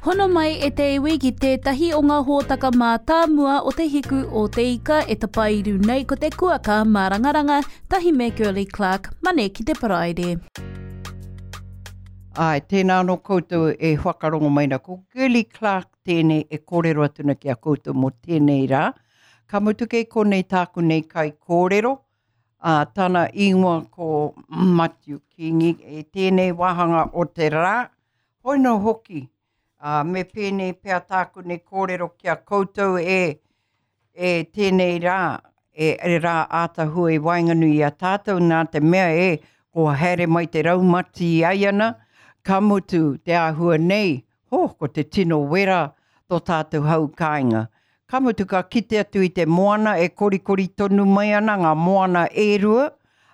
Hono mai e te iwi ki tētahi o ngā hōtaka mātāmua o Te Hiku o Te Ika e tapairu nei ko te kuaka mārangaranga tahi me Girlie Clarke, Mane ki te Paraire. Āe, tēnā anō koutou e whakarongo mai na. Ko Girlie Clarke tēnei e kōrero atu na ki a koutou mō tēnei rā. Ka mutu kei konei tāku nei kaikōrero, ā, tana ingoa ko Matiu Kingi i tēnei wāhanga o te rā. Hoi nō hoki, ā, me pēnei pea tāku nei kōrero ki a koutou e, e tēnei rā, e, e rā ātahua i waenganui i a tātou, nā te mea e, kua haere mai te raumati i aiana, ka mutu te āhua nei, ho, ko te tino wera tō tātou hau kāinga. Ka mutu ka kite atu i te moana e korikori tonu mai ana ngā moana e rua,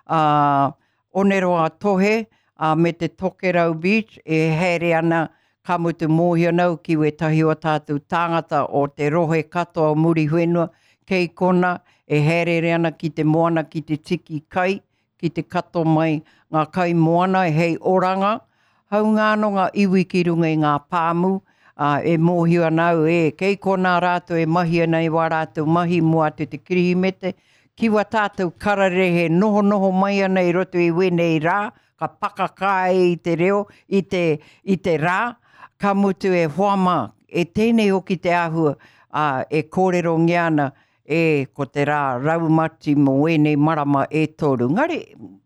ā, Oneroa Tohe, ā, me te Tokerau Beach e haere ana, ka mutu mōhio ana au ki wētahi o tātou tāngata o te rohe katoa o Muriwhenua, kei kona e haereere ana ki te moana ki te tiki kai, ki te kato mai ngā kai moana hei oranga, Haunga anō ngā iwi ki runga i ngā pāmu, ā, e mōhio ana au, e, kei konā rātou e mahi ana i wā rātou mahi mua atu i te Kirihimete, ki wā tātou kararehe nohonoho mai ana i roto i wēnei rā, ka pakaka ai i te reo, i te, i te rā, ka mutu e hoa mā, e tēnei hoki te āhua, ā, e kōrerongia ana, E, ko te rā raumati mō ēnei marama e toru. Ngari,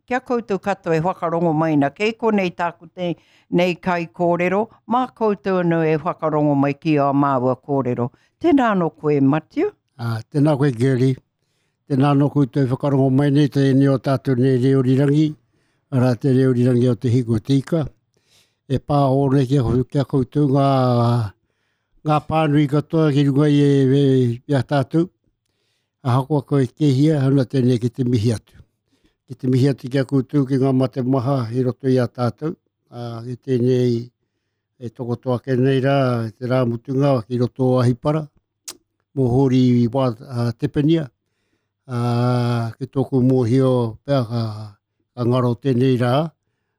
ki a koutou katoa e whakarongo mai na, kei konei tāku te, nei kaikōrero, mā koutou anō e whakarongo mai ki ā māua kōrero. Tēnā anō koe, Matiu. Ā, tēnā koe, Girlie. Tēnā anō koutou e whakarongo mai nei tēnei o tātou nei reo rirangi, arā te reo rirangi o Te Hiku o Te Ika. E pāho nei ki a, ki a koutou ngā ngā pānui katoa ki runga i, e, i a tātou. Ahakoa koe kehia, hana tēnei ki te mihi atu. Ki te mihi atu ki a koutou ki ngā mate maha i roto i a tātou. Ā, ki tēnei e tokoto ake nei rā, te rā mutunga ki roto o Ahipara, mō Hōri wā, a, Tepenia. Ā, ki tōku mōhio pea ka, ka ngaro tēnei rā.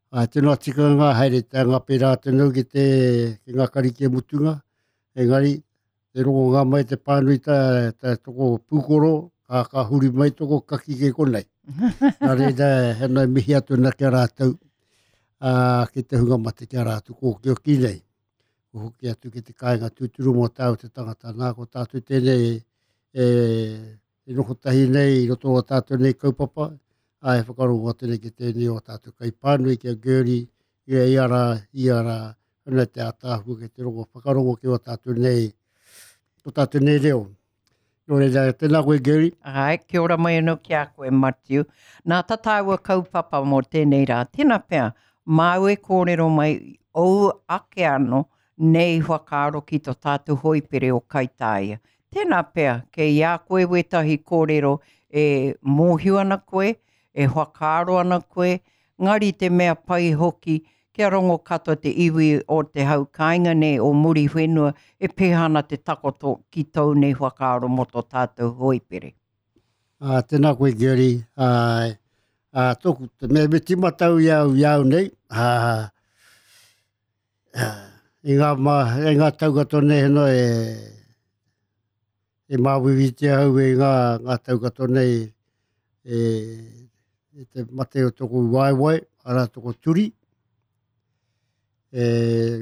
Ā, tino tikanga haere te anga pērā tēnau ki te, ki ngā karikia mutunga, engari, te rongonga mai te pānui tā, tā toko pūkoro, ka, ka huri mai toko kaki ke konei. Nā reira, he nei mihi atu ana ki a rātou, ā, ki te hunga mate ki a rātou kōkioki nei. Ko hoki atu ki te kāinga tūturu mō tāu te tangata. Nā, ko tātou tēnei e, e noho tahi nei i roto o tātou nei kaupapa, ā, e whakarongo atu nei ki tēnei o tātou kaipānui ki a Gertie, i a ia rā, ia rā, ana te ātaahua ki te rongo whakarongo ki o tātou nei, o tātou nei reo. Nō reira, tēnā koe Gertie. Āe, kia ora mai anō ki a koe Matiu. Nā tā tāua kaupapa mō tēnei rā, tēnā pea, māu e kōrero mai ōu ake anō nei whakaaro ki tō tātou hoipere o Kaitāia. Tēnā pea, kei a koe wētahi kōrero e mōhio ana koe, e whakaaro ana koe, ngari te mea pai hoki kia rongo katoa te iwi o te hau kāinga nei o Muriwhenua e pēhea ana te takoto ki tōu nei whakaaro mō tō tātou hoipere. Ā, tēnā koe Gary, ā, ā, tōku, te mea me tīmata au i au, i au nei, ā, I ngā, ma, i ngā tau katoa nei heno e, e māuiuitia au e ngā, ngā tau katoa nei e, e te mate o tōku waewae, arā tōku turi. E,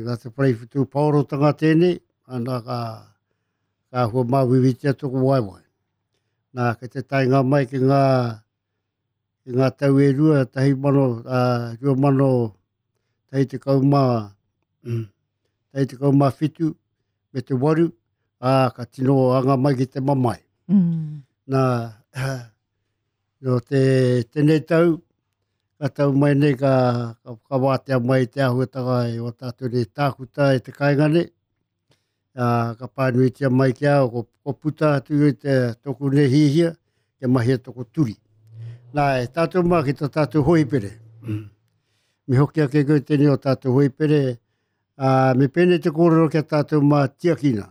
nā te whare whutupaorotanga tēnei, ana ka, ka hua māuiuitia tōku waewae. Nā, kei te taenga mai ki ngā, i ngā tau e rua, 1000, ā, 2000, mā, 17 me te waru, ā, ka tino anga mai ki te mamae. Mm. Nā, nō te, tēnei tau, ka tau mai nei ka, ka, ka wātea mai te āhuatanga e o tātou nei tākuta e te kāinga nei, ā, ka pānuitia mai ki a au, ko, ko puta atu i te tōku nei hihia, kia mahia tōku turi. Nā, e tātou mā ki tō tātou hoipere. Mm. Me hoki ake koe tēnei o tātou hoipere, ā, me pēnei te kōrero kia tātou mā tiakina.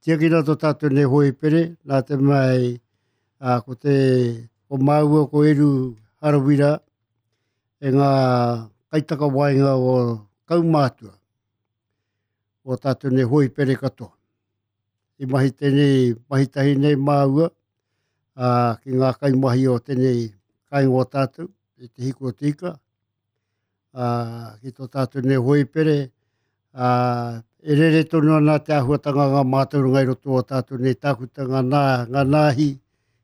Tiakina tō tātou nei hoipere, nā te mai, ā, ko te, ko māua ko Eru Harawira, e ngā kaitakawaenga o kaumātua. o tātou nei hoipere katoa. I mahi tēnei, mahi tahi nei māua, ā, ki ngā kaimahi o tēnei kāinga o tātou, i Te Hiku o Te Ika, ā, ki tō tātou nei hoipere, ā, e rere tonu ana te āhuatanga ngā mātauranga i roto o tātou nei tākuta, ngā nā, ngā nāhi,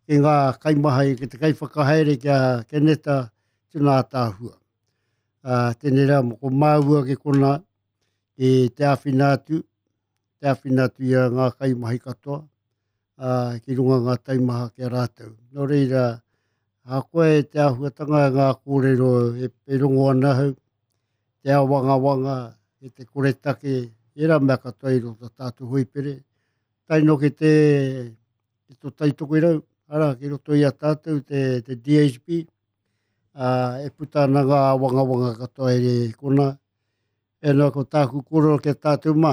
ki ngā kaimahi, ki te kaiwhakahaere ki a Keneta, tino ātaahua. Ā, tēnei rā, ko māua ki kona, ki te āwhina atu, te āwhina atu i a ngā kaimahi katoa, ā, ki runga ngā taimaha ki a rātou. Nō reira, ahakoa e te āhuatanga ngā kōrero e, e rongo ana ahau, te āwangawanga, e te koretake, ērā mea katoa i roto tātou hoipere, tae noa ki te, ki tō Taitokerau, arā, ki roto i a tātou te, te DHB, ā, e puta ana ngā āwangawanga katoa e kona, E noa ko tāku kōrero ki a tātou mā.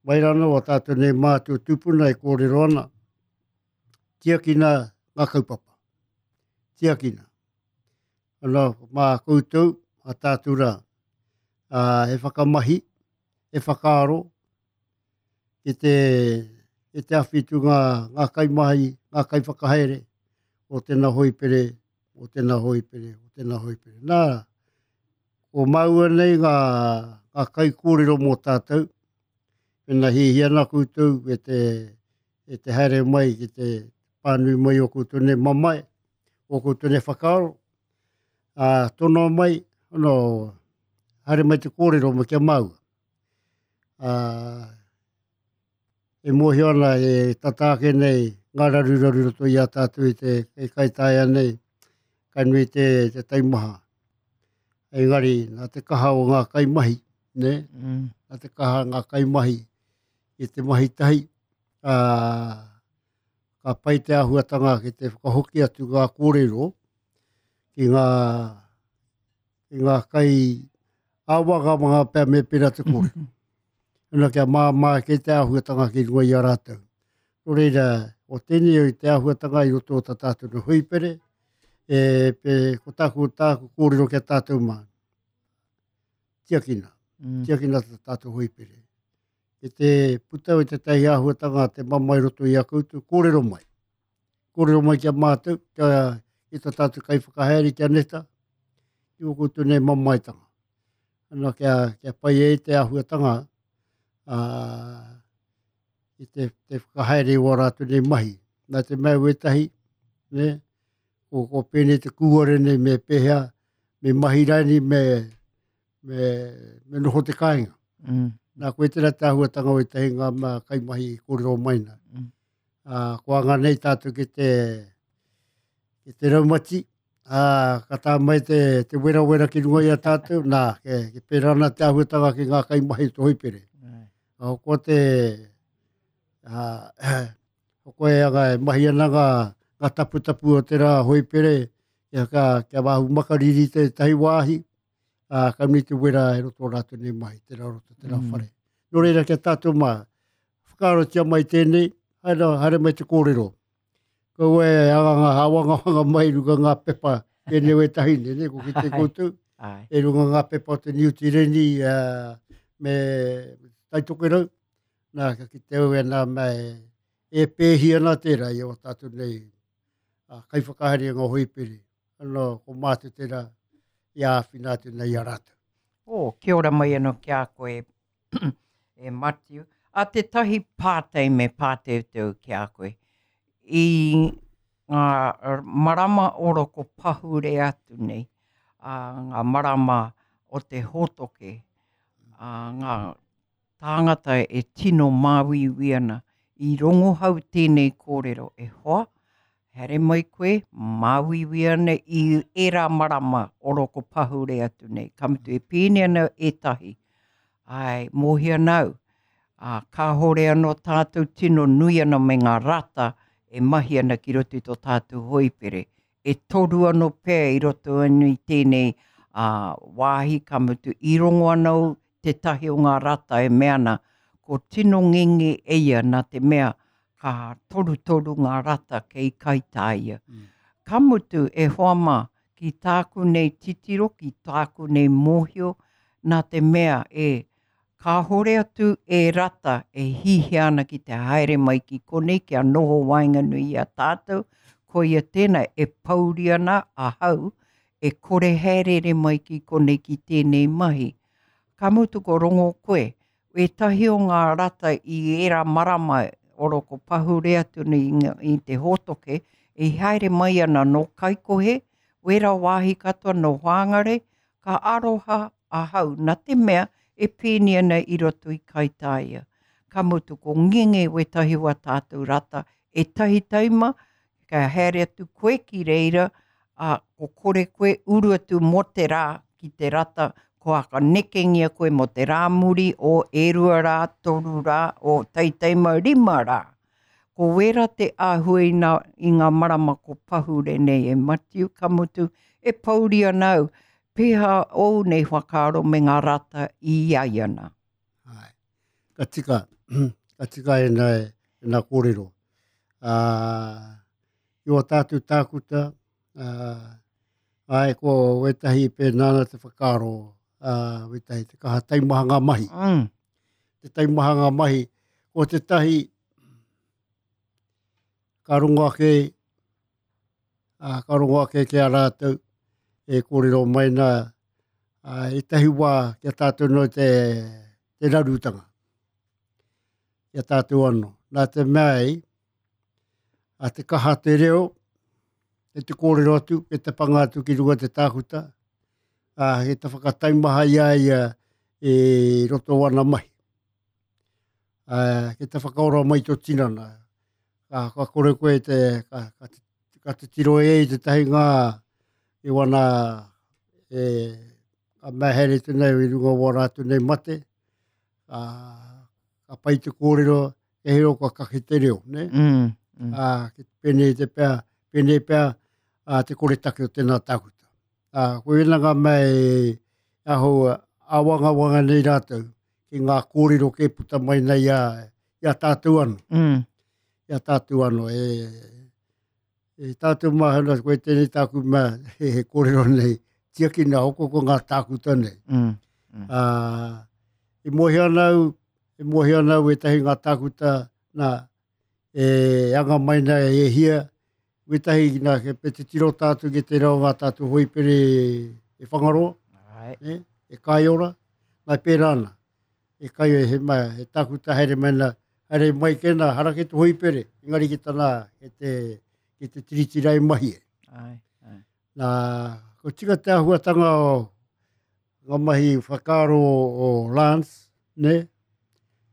Mai rānō a tātou nei mātua tūpuna e kōrero ana, tiakina ngā kaupapa. Tiakina. Ana, mā koutou, a tātou rā, a, e whakamahi, e whakaaro, ki te, ki te awhitu ngā, ngā kaimahi, ngā kaiwhakahaere o tēnā hoipere, o tēnā hoipere, o tēnā hoipere. Nā, ko māua nei ngā, ngā kaikōrero mō tātou, pēnā hiahia ana koutou e te, e te haere mai ki te pānui mai o koutou nei mamae, o koutou nei whakaaro, ā, tonoa mai, ono, haere mai te kōrero mai ki a māua. Ā, e mōhio ana e tata ake nei ngā raruraru roto i a tātou i te e kaitaia nei, ka nui te, te taimaha. Engari, nā te kaha o ngā kaimahi, ne? Mm. Nā te kaha ngā kaimahi i te mahi tahi, ā, ka pai te āhuatanga ki te whakahoki atu ngā kōrero ki ngā, ki ngā kai āwangawanga pea me pērā te kōrero. Ana kia māmā ake te āhuatanga ki runga i a rātou. Nō reira, o tēnei o te āhuatanga i roto o tā tātou no hoipere, e, pe, ko tāku, tāku kōrero ki a tātou mā. Tiakina. Mm. Tiakina tā tātou hoipere. Ki te puta o tētahi āhuatanga te mamae roto i a koutou, kōrero mai. Kōrero mai ki a mātou, kia, ki tā tātou kaiwhakahaere ki a Neta, ki o koutou nei mamaetanga. Ana kia, kia pai ai te āhuatanga ā, i te, te whakahaere o ā rātou nei mahi. Nā te mea wētahi, ne, ko, ko pēnei te kūare nei me pēhea, me mahi rānei, me, me, me noho te kāinga. Mm. Nā, koe tērā te āhuatanga o ētahi ngā mea kaimahi i kōrero mai nā. Mm. Ā, ko anga nei tātou ki te, ki te raumati, ā, ka tā mai te, te werawera ki runga i a tātou, nā, ke, ke pērā ana te āhuatanga ki ngā kaimahi o te hoipere. Mm. Ko te, ā, ko koe anga e mahi ana ngā, ngā taputapu o te rā hoipere, kia, ka, kia wāhu makariri tētahi wāhi, ā, ka nui te wera e roto o rātou nei mahi, tērā roto, tērā mm. whare. Nō reira, kia tātou mā, whakaarotia mai tēnei, haere, haere mai te kōrero. Kaua e anganga, awangawanga mai runga ngā pepa, tēnei wētahi, ne, ne, ko ki te koutou, e runga ngā pepa o te Niu Tireni uh, me Taitokerau, nā, ka ki te au e nā mea e, e pēhi ana tērā i o tātou nei uh, kaiwhakahaere ngā hoipere. Ano, ko mātou tērā i āwhina atu nei i a rātou. Oh, kia ora mai anō ki a koe, e Matiu. A tētahi pātai me pāteuteu ki a koe. I ngā marama oro ko pahure atu nei, a ngā marama o te hōtoke, a ngā tāngata e tino māuiui ana, i rongohau tēnei kōrero e hoa, haere mai koe, māuiui ana i ērā marama oro ko pahure atu nei. Ka mutu e pēnei ana ētahi, āe, mōhio ana au, ā, kāhore anō tātou tino nui ana me ngā rata e mahi ana ki roto i tō tātou hoipere. E toru anō pea i roto anō i tēnei ā, wāhi, ka mutu i rongo ana au tētahi o ngā rata e mea ana, ko tino ngenge e ia nā te mea ka torutoru ngā rata kei Kaitāia. Mm. Ka mutu, e hoa mā, ki tāku nei titiro, ki tāku nei mōhio, nā te mea e, Kāhore atu e rata e hihia ana ki te haere mai ki konei kia noho waenganui i a tātou, koia tēnā e pouri ana ahau e kore haereere mai ki konei ki tēnei mahi. Ka mutu ko rongo koe, ētahi o ngā rata i ērā marama oro ko pahure atu nei i te hōtoke, i haere mai ana nō Kaikohe, wera wāhi katoa nō Whāngare, ka aroha ahau na te mea e pēni ana i roto i Kaitāia. Ka mutu ko ngenge wētahi o a tātou rata ētahi taima ka haere atu koe ki reira, ā, ko kore koe uru atu mō te rā ki te rata, kua whakanekengia koe mō te rā muri o e rua rā, toru rā, o taitaima rima rā. Ko wērā te āhua i nā, i ngā marama ko pahure nei e Matiu, ka mutu, e pouri ana au, pēhā ōu nei whakaaro me ngā rata i iaiana? Āe, ka tika, ka tika ēnā, ēnā kōrero. Ā, i wā tātou tākuta, ā, āe, ko wētahi pēnā ana te whakaaro, ā, wētahi te kaha taimaha ngā mahi. Te taimaha ngā mahi, ko tētahi ka rongo ake, ā, ka rongo ake ki a rātou e kōrero mai nā, ā, ētahi wā ki a tātou noa te, te rarutanga, ki a tātou anō. Nā te mea ei, a te kaha te reo, e te kōrero atu, e te panga atu ki runga te tākuta, ā, he te whakataimaha i a ia e roto o ana mahi. Ā, ki te whakaora mai tō tinana, ka, ka kore koe te, ka, ka, ka titiro e i tētahi ngā i wana e, ka mea haere atu nei i runga o wā rātou nei mate, ka, ka pai te kōrero, e hero kua kake te reo, ne? Ā, ki te pēnei te pea, pēnei pea, ā, te kore take o tēnā tākuta. Ā, ko ēnā ngā mea e aho āwangawanga nei rātou ki ngā kōrero kē puta mai nei i a, i a tātou anō. I a tātou anō. E, e tātou māhana, koe tēnei tāku mea, he, he kōrero nei, tiakina hoko ko ngā tākuta nei. Ā, i mōhio ana au, i mōhio ana au ētahi ngā tākuta, nā, e anga mai nei e hia, wētahi nā, ke pe titiro tātou ki te reo ngā tātou hoipere e Whangaroa, e, e Kaiora, nā pērā ana. E kai e he mai, he tākuta haere mai nā, haere mai ke nā, hara ki te hoipere, engari ki tana, ki te, ki te tiriti rai mahi e. Ai, ai. Nā, ko tika te āhuatanga o ngā mahi whakaaro o Lance, ne?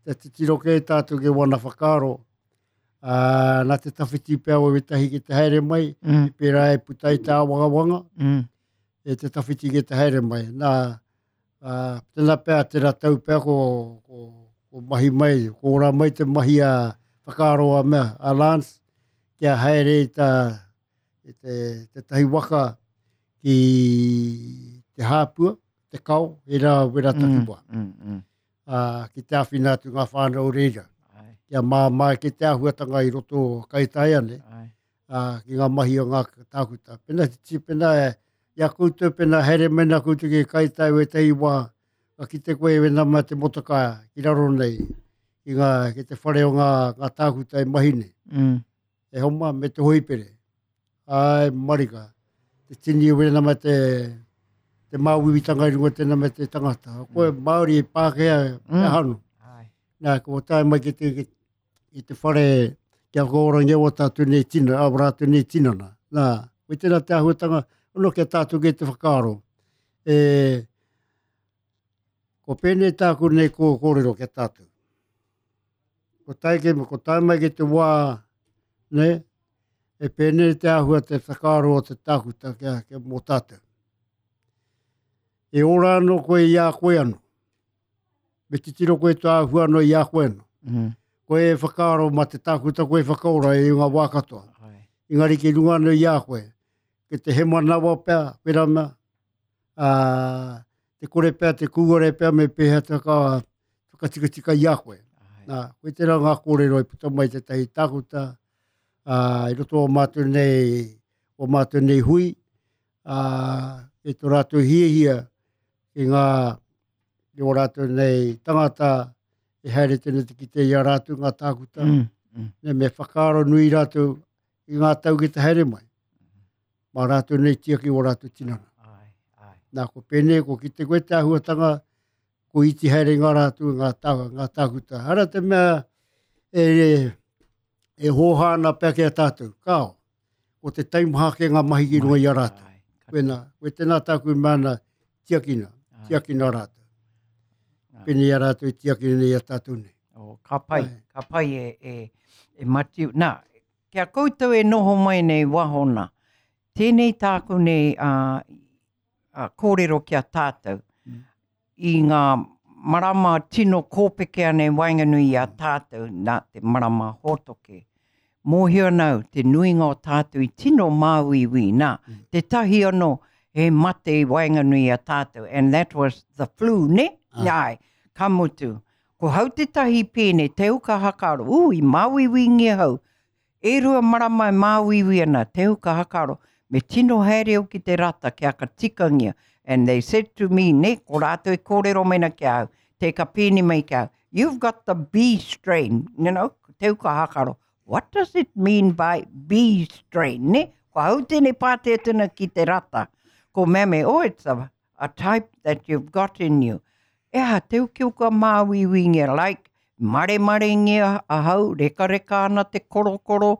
Te titiro kē tātou ki wana whakaaro, ā, nā te tawhiti pea o wētahi ki te haere mai, i pērā e puta i te āwangawanga, e te tawhiti ki te haere mai. Nā, ā, tēnā pea, tērā tau pea ko, ko, ko mahi mai, ko ora mai te mahi a whakaaro a mea, a Lance, kia haere i tā, i te, tētahi waka ki te hāpua, te kao, e rā wera takiwā. Ā, ki te āwhina atu ngā whānau o reira. Ai. Kia māmā ki te āhuatanga i roto o Kaitaia nei, Ai. ā, ki ngā mahi o ngā tākuta. Pena te tī, pena e, i a koutou, pena haere mai nā koutou ki Kaitaia wētahi wā, ka kite koe e wena mai te motokā ki raro nei, ki ngā, ki te whare o ngā, ngā tākuta e mahi nei. E homa me te hoipere. Ai, marika. Te tini o wena me te, te māuiuitanga i runga tēnā me te tangata. Koe Māori e Pākehā e hanu. Ai. Nā, ko tae mai ki te, ki, i te whare kia whakaorangia o tātou nei tina, a rātou nei tinana. Nā, koe tēnā te āhuatanga, ono kia tātou ki te whakaaro. E, ko pēnei tāku nei kō kōrero kia tātou. Ko tae ki, ko tae mai ki te wā, ne, e pēnei te āhua te whakaaro o te tākuta kia, kia mō tātou. E ora anō koe i a koe anō. Me titiro koe tō āhua anō i a koe anō. Koe e whakaaro mā te tākuta koe e whakaora i ngā wā katoa. Ai. Engari ki runga anō i a koe. Ki te hemanawa pea, pera mea, ā, te kore pea, te kūare pea me pēhea te whaka, whakatikatika i a koe. Ai. Nā, koe tērā ngā kōrero i puta mai tētahi tākuta, ā, i roto o mātou nei, o mātou nei hui, ā, e tō rātou hiahia ki ngā, ki o rātou nei tangata e haere tēnei te kite i a rātou ngā tākuta. Ne, me whakaaro nui rātou i ngā tau ki te haere mai. Mā rātou nei tiaki o rātou tinana. Ai, ai. Nā, ko pēnei, ko kite koe te āhuatanga, ko iti haere ngā rātou, ngā, tā, ngā tākuta. Hara te mea e, e hōhā ana pea ki a tātou. Kao, ko te taimaha ke ngā mahi ki runga i a rātou. Koena, koe tēnā tāku i mana tiakina, tiakina rātou. Pēnei a rātou i tiakina nei a tātou nei. Oh, ka pai, ka pai e, e, e Matiu. Nā, kia koutou e noho mai nei waho nā, tēnei tāku nei uh, kōrero ki a tātou i ngā marama tino kōpeke ana i waenganui i a tātou nā te marama hōtoke. Mōhio ana au, te nuinga o tātou i tino māuiui nā, tētahi anō he mate i waenganui i a tātou, and that was the flu, ne? Ai, ka mutu. Ko hau tētahi pēne, te uka hakaro, ū, i māuiuingia hau, E rua marama e māuiui ana te huka hakaro, me tino haere au ki te rata kia ka tikangia. And they said to me, ne, ko rātou e kōrero mai ana ki a au, te ka pēni mai ki a au, you've got the B strain, you know, te huka hakaro. What does it mean by B strain, ne? Ko au tēnei pātai atu ana ki te rata. Ko mea me, oh, it's a, a type that you've got in you. E aha, te ukiuka māuiuingia, like, maremarengia ahau, rekareka ana te korokoro,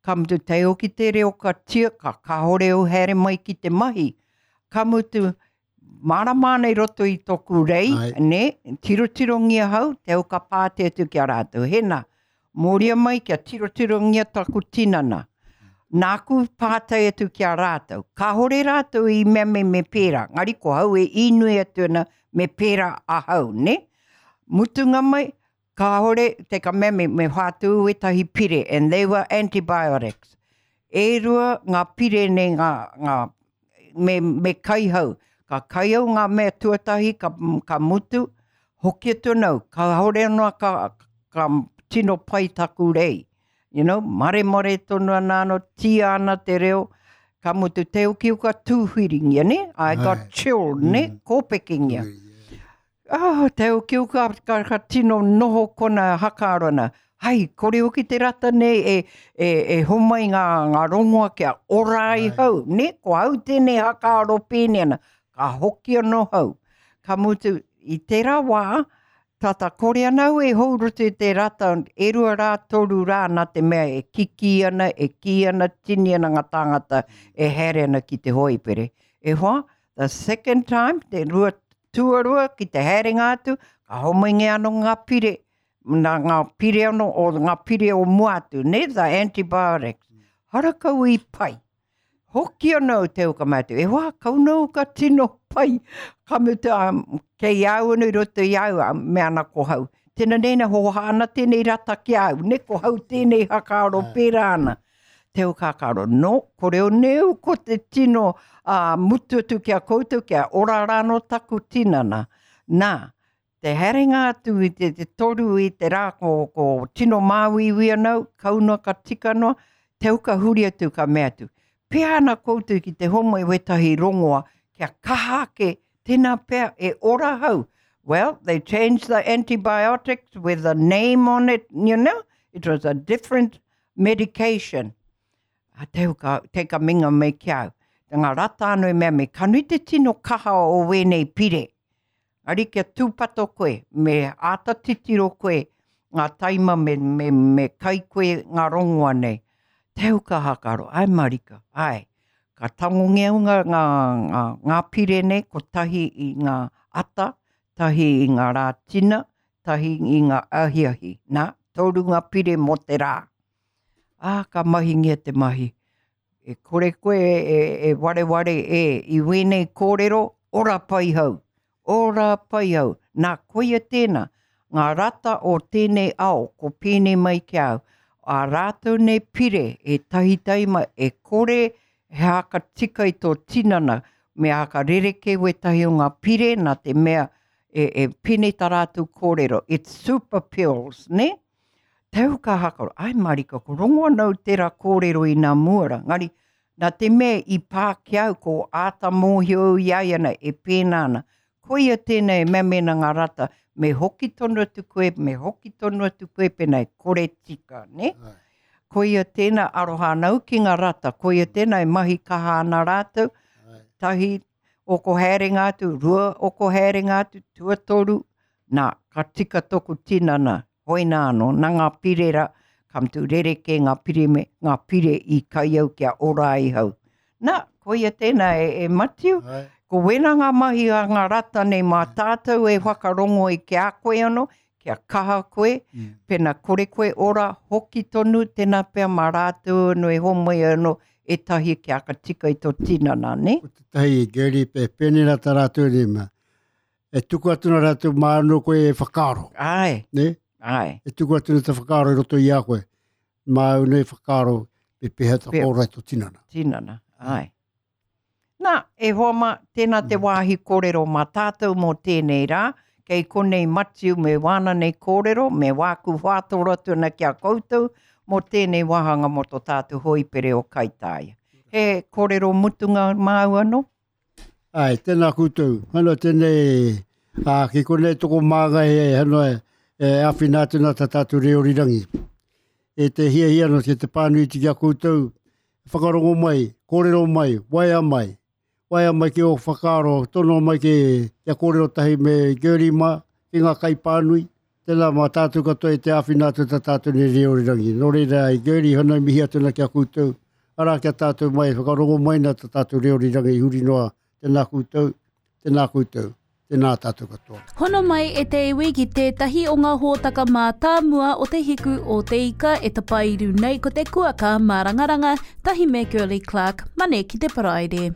ka mutu tei hoki te reo ka tia, ka kāore au haere mai ki te mahi. Ka mutu, mārama ana i roto i toku rei, Ai. ne, tirotirongia hau, te au ka pāti atu ki a rātou. Hena, Mōria mai kia tirotirongia taku tinana. Nāku pātai atu ki a rātou. Kāore rātou i mea me me pērā, ngari ko hau e īnui atu ana me pērā ahau, ne? Mutunga mai, kāore, te ka mea me, me whātū wētahi pire, and they were antibiotics. E rua ngā pire nei ngā, ngā, me, me kai hau. Ka kai au ngā mea tuatahi, ka, ka mutu, hoki atu ana au, kāore anō ka, ka tino pai taku rei. You know, maremare tonu ana anō, tia ana te reo, ka mutu te ukiuka tūwhiringia, ne? I got chilled, ne? Kōpekengia. Oh, te ukiuka ka, ka tino noho kona hakaaro ana. Hai, kore hoki te rata nei e, e, e homai ngā, ngā rongoa kia ora ai hau, ne? Ko au tēnei hakaaro pēnei ana. Ka hoki anō hau. Ka mutu, i tērā wā, tata kore ana au e hou roto i te rata, e rua rā, toru rā, nā te mea e kikī ana, e kī ana, tini ana ngā tāngata e haere ana ki te hoipere. E hoa, the second time, te rua tuarua ki te haerenga atu, ka homaingia anō ngā pire, nā ngā pire anō, o ngā pire o mua atu, ne, the antibiotics. Harakau i pai. Hoki ana au te uka mātou, e hoa, kau nau ka tino pai. Ka mutu, um, kei au anu i roto i au, um, me ana ko hau. Tēnā nēnā hoha ana tēnei rata ki au, ne ko hau tēnei hakaaro pērā ana. Te uka hakaaro, no, ko reo neu ko te tino uh, mutu atu ki a koutou, kia ora rāno taku tinana. Nā, Te haerenga atu i te, te toru i te rā ko, ko tino māuiui ana au, kau noa ka tika noa, te au ka huri atu ka mea atu. Pea ana koutou ki te homai wētahi rongoa kia kaha ake, tēnā pea e ora hau. Well, they changed the antibiotics with a name on it, you know, it was a different medication. A te ka, te ka minga mai ki au. Te ngā rata anō i mea me ka nui te tino kaha o wēnei pire. Engari kia tūpato koe, me āta titiro koe ngā taima me, me, me kai koe ngā rongoa nei. Te huka hakaro, ai marika, ai. Ka tangongia ngā, ngā, ngā, ngā pire nei, kotahi i ngā ata, tahi i ngā rā tina, tahi i ngā ahiahi. Nā, toru ngā pire mō te rā. Ā, ka mahingia te mahi. E kore koe e, e wareware e i wēnei kōrero, ora pai hau, ora pai hau. Nā, koia tēnā, ngā rata o tēnei ao, ko pēnei mai ki a au, ā rātou nei pire e tahitahi mai, e kore he haka tika i tō tinana, me haka rerekē wētahi o ngā pire nā te mea e, e pēnei tā rātou kōrero, it's super pills, ne? Tau ka hakaro, ai marika, ko rongo ana au tērā kōrero i nā mua rā, ngari, nā te mea i pā ki au, ko āta mōhio au i a ia ana e pēnā ana. Koia tēnei e mea mēnā ngā rata, me hoki tonu atu koe, me hoki tonu atu koe pēnā e kore tika, nē? Koia tēnā aroha ana au ki ngā rata, koia tēnā e mahi kaha ana rātou, tahi oko haerenga atu, rua oko haerenga atu, tuatoru, nā, ka tika toku tinana, hoina anō, nā ngā pire rā, ka mutu rerekē ngā pire me ngā pire i kai au kia ora ai hau. Nā, koia tēnā e, e Matiu, ko wena ngā mahi a ngā rata nei mā tātou e whakarongo i ki a koe anō, kia kaha koe, mm. pena kore koe ora, hoki tonu, tēnā pea mā rātou anō e homai anō, ētahi kia ka tika i tō tinana, ne? Ko tētahi, Gary, pe pēnei rā tā rātou nei mea. E tuku atu nā rātou mā anō koe e whakaaro. Ai. Ne? Ai. E tuku atu nā te whakaaro i roto i a koe. Māu nei whakaaro me pēhea ta kōra i tō tinana. Tinana, ai. Nā, e hoa mā, tēnā te mm. wāhi kōrero mā tātou mō tēnei rā. Kei konei Matiu me wāna nei kōrero, me wāku whātoro atu ana ki a koutou mō tēnei wāhanga mō tō tātou hoipere o Kaitāia. He kōrero mutunga māu anō? Ai, tēnā koutou. Hano tēnei, ā, ki konei toko māngai e, hano e, e āwhina atu nā tā tātou reo rirangi. E te hiahia no ki te pānui ki a koutou, whakarongo mai, kōrero mai, waea mai. Waea mai ki ō whakaaro, tono mai ki kia kōrero tahi me Gertie mā, ki ngā kaipānui. Tēnā mā tātou katoa e te āwhina atu tā tātou nei reo rirangi. Nō reira, i Gertie hana i mihi atu ana ki a koutou. Arā ki a tātou mai, whakarongo mai nā tā tātou reo rirangi huri noa. Tēnā koutou, tēnā koutou, tēnā tātou katoa. Hono mai e te iwi ki tētahi o ngā hōtaka mātāmua o Te Hiku o Te Ika e tapairu nei ko te kuaka mārangaranga tahi me Girlie Clark, Mane ki te Paraire.